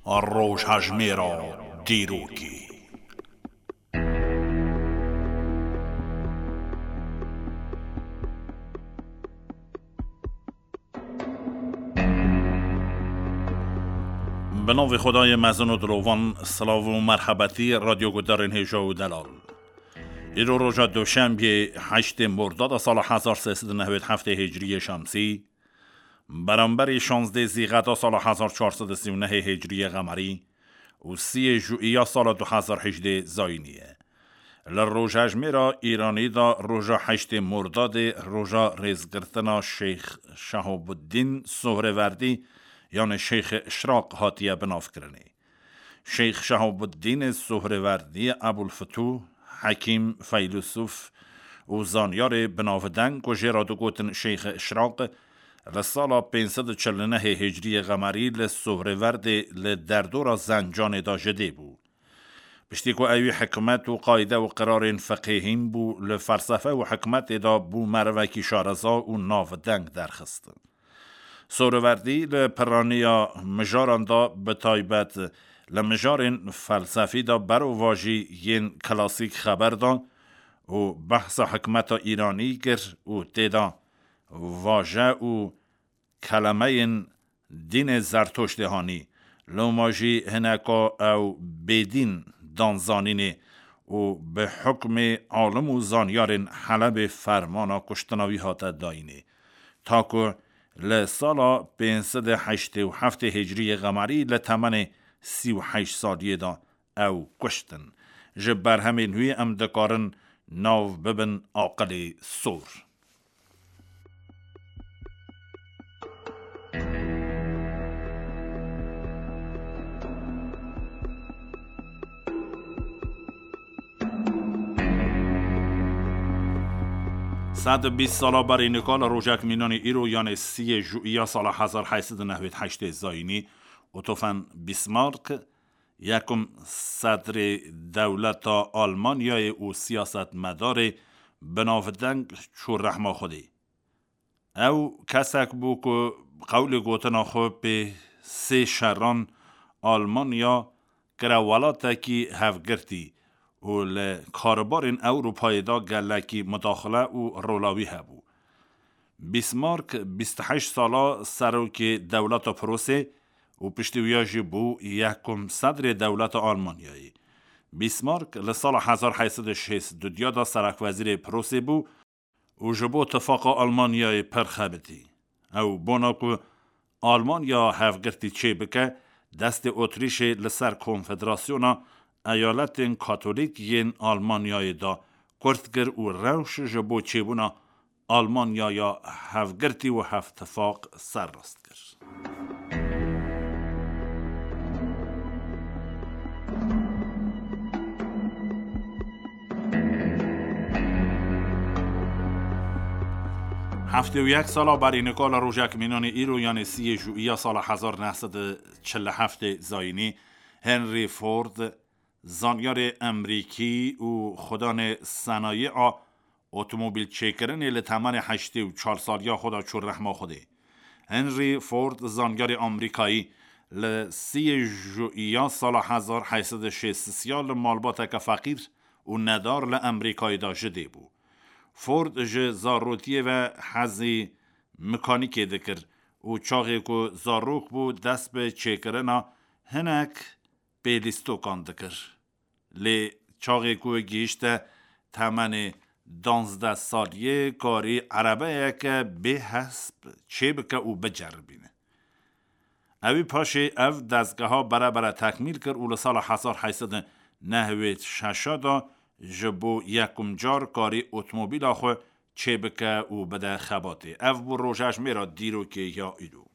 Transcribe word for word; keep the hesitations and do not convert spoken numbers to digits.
Rojhejmêra dîrokê. Bi navê Xwedayê mezin û dilovan, silav û merhebetî radyo guhdarên hêja û delal. Îro roja Doşembiyê heştê Mordada sala hezar sê sed û nehwêd heftê Hicriyê Şemsî, beramberî şazdê Zîxeta sala hezar çar sed û sî û nehê Hicriyê Xemerî û siyê Jûiya sala du hezar hejdê Zayînî ye. Li rojhejmêra Îranî de roja heştê Mordadê roja rêzgirtina Şeyx Şehabuddîn Sohrêverdî, yanê Şeyxê Işraq hatiye binavkirinê. Şeyx Şehabuddînê Sohrêverdî Ebulfitû, hekîm, feylesûf û zanyarê binavdeng ku jê re digotin Şeyxê Işraq, li sala pênc sed û çil û nehê Hicriyê Xemerî li Sohrêverdê li derdora Zencanê de ji dê bû. Piştî ku ewî hikmet û qayde û qirarên fiqhê hîn bû, li felsefe û hikmetê de bû merivekî şareza û navdeng derxist. Sohrêverdî li piraniya mijaran de, bi taybet li mijarên felsefî de berovajî yên klasîk xeber da û behsa hikmeta Îranî kir û tê de vaje û kelemeyên dînê Zertoştê hanî, loma jî hineka ew bêdîn dan zanînê û bi hukmê alim û zanyarên Helebê fermana kuştina wî hate dayînê. Ta ku li sala pênc sed û heştê û heftê Hicriyê Xemerî li temenê sî û heşt saliyê de ew kuştin. Ji berhemên wî em dikarin nav bibin aqilê sor. Sed û bîst sala berî nika li rojek mînanî îro, yanê siyê Jûiya sala hezar heyt sed û nehwêd heştê Zayînî, Otto von Bismarck, yekum sedrê dewleta Almanyayê û siyasetmedarê binavdeng çû rehma Xwedê. Ew kesek bû ku qewlê gotina xwe pê sê şeran Almanya kire welatekî hevgirtî û li karûbarên Ewropayê de gelekî mudaxile û rola wî hebû. Bismarck bîst û heşt sala serokê dewleta Prusê û piştî wiya jî bû yekum sedrê dewleta Almanyayê. Bismarck li sala hezar heyt sed û şêst û duya de serekwezîrê Prusê bû û ji bo tifaqa Almanyayê pir xebitî. Ew bona ku Almanya hevgirtî çêbike, destê Otrîşê li ser Konfederasyona Eyaletên Katolîk yên Almanyayê de kurt kir û rewş ji bo çêbûna Almanyaya hevgirtî û hevtifaq serrast kir. Heftê û yek sala berî nika li rojek mînanê îro, yanê siyê Jûiya sala hezar neh sed û çil û heftê Zayînî, Henry Ford, zanyarê Emerîkî û xudanê senayî a otomobîl çêkirinê, li temenê heştê û çar saliya xwe de çû rehma Xwedê. Henry Ford, zanyarê Amerîkayî, li siyê Jûiya sala hezar heyt sed û şêst û sê li malbateke feqîr û nedar li Amerîkayê de ji dê bû. Ford ji zarotiyê ve hezî mekanîkê dikir û çaxê ku zarok bû, dest bi çêkirina hinek pêlîstokan dikir. Lê çaxê ku gihîşte temenê danzdeh saliyê, karî erebeyeke bê hesp çêbike û biceribîne. Ewî paşê ev dezgeha bere bere tekmîl kir û li sala hezar heyt sed û nehwêd şeş de ji bo yekum car karî otomobîla xwe çêbike û bide xebatê. Ev bû rojejmêra dîrokê ya îro.